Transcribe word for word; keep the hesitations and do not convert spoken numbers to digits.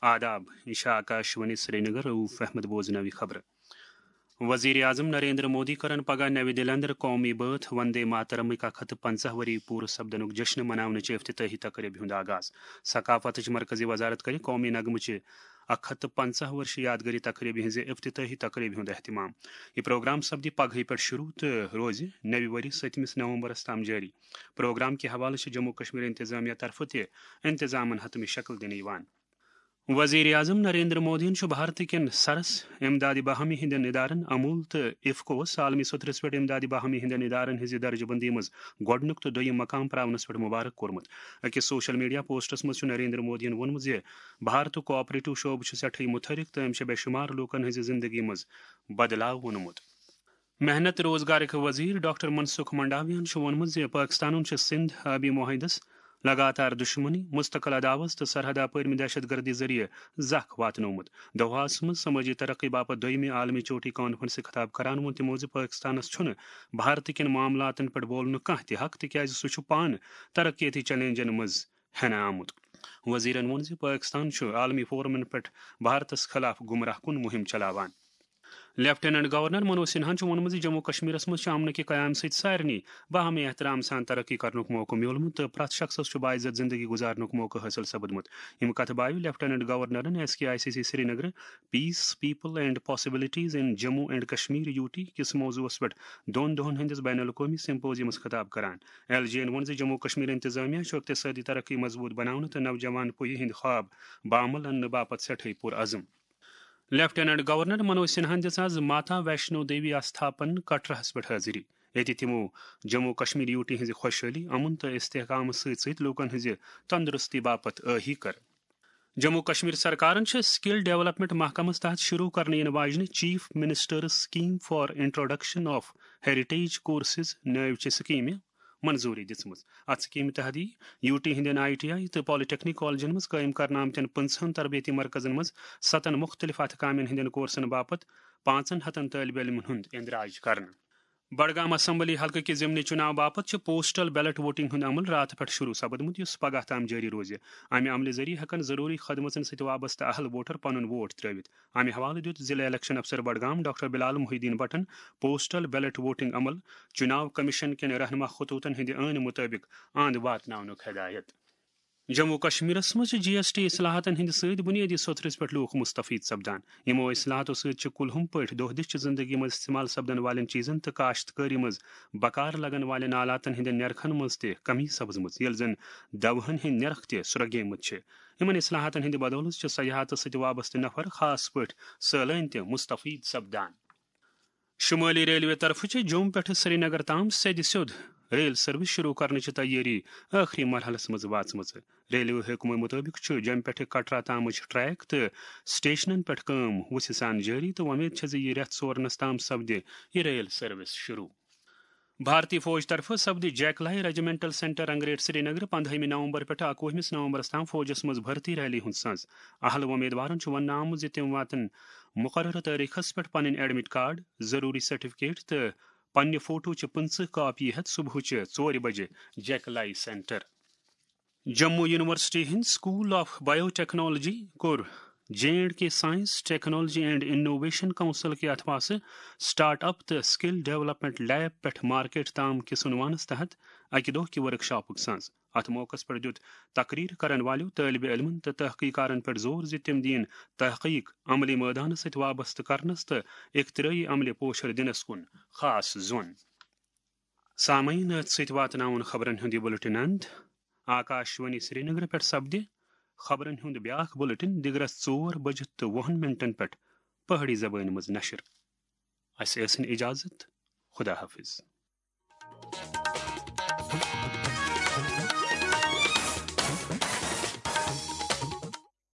آداب، یہ چھِ آکاشوانی سرینگر، رؤف احمد بوزناوی خبرٕ۔ وزیر اعظم نریندر مودی کرن پگاہ نوِ دِلہِ اندر قومی بٲتھ وندے ماترمٕکۍ اکھ ہتھ تہٕ پنژاہ ؤری پوٗرٕ سپدنُک جشن مناونٕچہِ افتتاحی تقریبہِ ہُنٛد آغاز۔ ثقافتٕچ مرکزی وزارت کرِ قومی نغمہٕ چہِ اکھ ہتھ تہٕ پنژاہ ؤرشہِ یادگٲری تقریبہِ ہٕنٛزِ افتتاحی تقریبہِ ہُنٛد اہتمام۔ یہِ پروگرام سپدِ پگہٕے پٮ۪ٹھ شروع تہٕ روزِ نوِ ؤری سٔتمِس نومبرس تام جٲری۔ پروگرام کہِ حوالہٕ چھِ جموں کشمیر انتظامیہ طرفہٕ تہِ انتظامن حتمی شکل دِنہٕ یِوان۔ وزیر اعظم نریندر مودیَن چھُ بھارت کٮ۪ن سرس امدادِ باہمی ہٕنٛدٮ۪ن ادارن امول تہٕ افکوس عالمی سطحس پٮ۪ٹھ امدادِ باہمی ہٕنٛدٮ۪ن ادارن ہٕنٛزِ درجہٕ بندی منٛز گۄڈٕنیُک تہٕ دوٚیِم مقام پراونس پٮ۪ٹھ مبارک کوٚرمُت۔ أکِس سوشل میڈیا پوسٹس منٛز چھُ نریندر مودیَن ووٚنمُت زِ بھارتُک کوآپریٹو شعبہٕ چھُ سٮ۪ٹھٕے مُتحرک تہٕ أمۍ چھِ بے شُمار لوٗکن ہٕنٛزِ زندگی منٛز بدلاو ووٚنمُت۔ محنت روزگارٕکۍ وزیر ڈاکٹر منسکھ منڈاویہن چھُ ووٚنمُت زِ پٲکِستانُن چھُ سِندھ آبی معاہدس لگاتار دُشمنی، مستقل عداوت تہٕ سرحد اپٲرۍ دہشت گردی ذٔریعہٕ زکھ واتنومُت۔ دوحاہس منٛز سمٲجی ترقی باپتھ دوٚیمہِ عالمی چوٹی کانفرنسہِ خطاب کران ووٚن تِمو زِ پٲکِستانس چھُنہٕ بھارت کٮ۪ن معاملاتن پٮ۪ٹھ بولنُک کانٛہہ تہِ حق، تِکیازِ سُہ چھُ پانہٕ ترقیتی چیلنجن منٛز ہٮ۪نہٕ آمُت۔ وزیرن ووٚن زِ پٲکِستان چھُ عالمی فورمن پٮ۪ٹھ بھارتس خلاف گمراہ کُن مُہِم چلاوان۔ لیفٹیننٹ گورنر منوج سنہاہن چھُ ووٚنمُت زِ جموں کشمیرس منٛز چھُ امنہٕ کہِ قیام سۭتۍ سارنٕے باہمی احترام سان ترقی کرنُک موقعہٕ میوٗلمُت تہٕ پرٛٮ۪تھ شخصس چھُ باعزت زندگی گزارنُک موقعہٕ حٲصِل سپدمُت۔ یِم کتھٕ بایہِ لیفٹیننٹ گورنرن S K I C C Srinagar, peace, people and possibilities in Jammu and Kashmir, U T, کِس موضوعس پٮ۪ٹھ دۄن دۄہن ہٕنٛدِس بین الاقوٲمی سمپوزیمس خطاب کران۔ ایل جے ین ووٚن زِ جموں کشمیر انتظامیہ چھُ اقتصٲدی ترقی مضبوٗط بناونہٕ تہٕ نوجوان پُیہِ ہٕنٛدۍ خواب بعمل اننہٕ باپتھ سٮ۪ٹھٕے پُرعزم۔ لیفٹیننٹ گورنر منوج سنہاہن دِژ آز ماتا ویشنو دیوی آستھاپن کٹراہس پٮ۪ٹھ حٲضری۔ ییٚتہِ تِمو جموں کشمیر یوٗ ٹی ہٕنٛزِ خۄشحٲلی، امن تہٕ استحکامس سۭتۍ سۭتۍ لوٗکن ہٕنٛزِ تندرستی باپتھ ٲہی کٔر۔ جموں کشمیر سرکارن چھِ سکل ڈیولپمنٹ محکمس تحت شروع کرنہٕ یِنہٕ واجنہِ chief minister's scheme for introduction of heritage courses نٲوۍ چہِ سکیمہِ منظوٗری دِژمٕژ۔ اتھ سکیمہِ تحت یِیہِ یوٗ ٹی ہٕنٛدٮ۪ن آئی ٹی آئی تہٕ پالیٹیکنک کالجن منٛز قٲیِم کرنہٕ آمتٮ۪ن پٕنٛژٕہن تربیتی مرکزن منٛز ستن مُختٔلِف اتھٕ کامٮ۪ن ہٕنٛدٮ۪ن کورسن باپتھ پانٛژن ہتن طٲلبہِ علمن ہُنٛد اندراج کرنہٕ۔ بڈگام اسمبلی حلقہٕ کہِ ضمنی چُناو باپتھ چھُ پوسٹل بیلٹ ووٹنگ ہُنٛد عمل راتہٕ پٮ۪ٹھ شروع سپدمُت، یُس پگاہ تام جٲری روزِ۔ امہِ عملہِ ذٔریعہٕ ہٮ۪کن ضروٗری خدمژن سۭتۍ وابستہٕ اہل ووٹر پنُن ووٹ ترٲوِتھ۔ امہِ حوالہٕ دِیُت ضلع الیکشن افسر بڈگام ڈاکٹر بلال محی الدین بٹن پوسٹل بیلٹ ووٹنگ عمل چُناو کمیشن کٮ۪ن رہنما خطوطن ہٕنٛدِ عٲنہٕ مُطٲبِق آند واتناونُک ہدایت۔ جموں کشمیرس منٛز چھِ جی ایس ٹی اصلاحاتن ہٕنٛدِ سۭتۍ بُنیٲدی سطحس پٮ۪ٹھ لوٗکھ مستفید سپدان۔ یِمو اصلاحاتو سۭتۍ چھِ کُلہُم پٲٹھۍ دۄہ دِش چہِ زندگی منٛز استعمال سپدن والٮ۪ن چیٖزن تہٕ کاشتکٲری منٛز بکار لگن والٮ۪ن آلاتن ہٕنٛدٮ۪ن نرخن منٛز تہِ کمی سپزمٕژ، ییٚلہِ زن دوہن ہٕنٛدۍ نرخ تہِ سرٛوگیمٕتۍ چھِ۔ یِمن اصلاحاتن ہٕنٛدِ بدولہٕ چھِ سیاحتس سۭتۍ وابستہٕ نفر، خاص پٲٹھۍ سٲلٲنۍ، تہِ مستفید سپدان۔ شمٲلی ریلوے طرفہٕ چھِ جوٚم پٮ۪ٹھٕ سرینگر تام سیٚدِ سیوٚد ریل سروس شروع کرنٕچ تیٲری ٲخری مرحلس منٛز واژمٕژ۔ ریلوے حکمہٕ مُطٲبِق چھُ جوٚم پٮ۪ٹھٕ کٹرا تامٕچ ٹریک تہٕ سٹیشنن پٮ۪ٹھ کٲم وُژھِ سان جٲری تہٕ وۄمید چھےٚ زِ یہِ رٮ۪تھ ژورنس تام سپدِ یہِ ریل سروس شروع۔ بھارتی فوج طرفہٕ سپدِ جیک لائی ریجیمنٹل سینٹر رنگریٹ سرینگر پندہٲیمہِ نومبر پٮ۪ٹھٕ اکوُہمِس نومبرس تام فوجس منٛز بھرتی ریلی ہُنٛد سنز۔ اہل وۄمیدوارن چھُ وننہٕ آمُت زِ تِم واتن مقررٕ تٲریخس پٮ۪ٹھ پنٕنۍ ایڈمٹ کارڈ، ضروری سرٹیفکیٹ تہٕ پننہِ فوٹو چہِ پٕنٛژٕہ کاپیہِ ہٮ۪تھ صبحٕچہِ ژورِ بجہِ جیک لائی سینٹر۔ جموں یونیورسٹی ہٕنٛدۍ سکول آف بایو ٹیکنالوجی کوٚر J and K science, technology and innovation council کہِ اتھواسہٕ سٹارٹ اپ تہٕ سکل ڈیولپمنٹ لیب پٮ۪ٹھ مارکیٹ تام کِس عنوانس تحت اکہِ دۄہ کہِ ورکشاپُک سنز۔ اتھ موقعس پٮ۪ٹھ دِیُت تقریر کرن والٮ۪و طٲلبِ علمن تہٕ تحقیقارن پٮ۪ٹھ زور زِ تِم دِیِن تحقیق عملی مٲدانس سۭتۍ وابستہٕ کرنس تہٕ اختراعی عملہِ پوچھر دِنس کُن خاص زون۔ سامعین، أتھۍ سۭتۍ واتناوُن خبرن ہُنٛد یہِ بُلٹن اند۔ آکاشوانی سرینگر پٮ۪ٹھ سپدِ خبرن ہُنٛد بیاکھ بُلٹن دِگرس ژور بجہِ تہٕ وُہن منٹن پٮ۪ٹھ پہٲڑی زبٲنۍ منٛز نشر۔ اسہِ ٲسِن اجازت۔ خدا حافظ۔